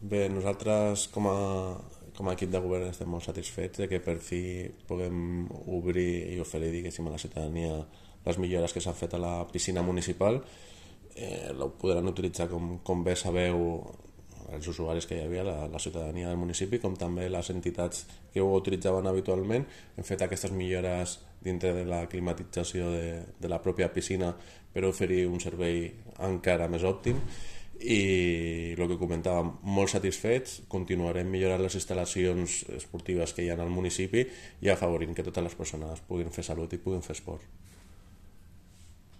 Bé, nosaltres com a equip de govern estem molt satisfets de que per fi puguem obrir i oferir, diguéssim, a la ciutadania les millores que s'han fet a la piscina municipal. La podran utilitzar, com bé sabeu, els usuaris que hi havia, la ciutadania del municipi, com també les entitats que ho utilitzaven habitualment. Hem fet aquestes millores dintre de la climatització de la pròpia piscina per oferir un servei encara més òptim i el que comentàvem, molt satisfets. Continuarem millorant les instal·lacions esportives que hi ha al municipi i afavorint que totes les persones puguin fer salut i puguin fer esport.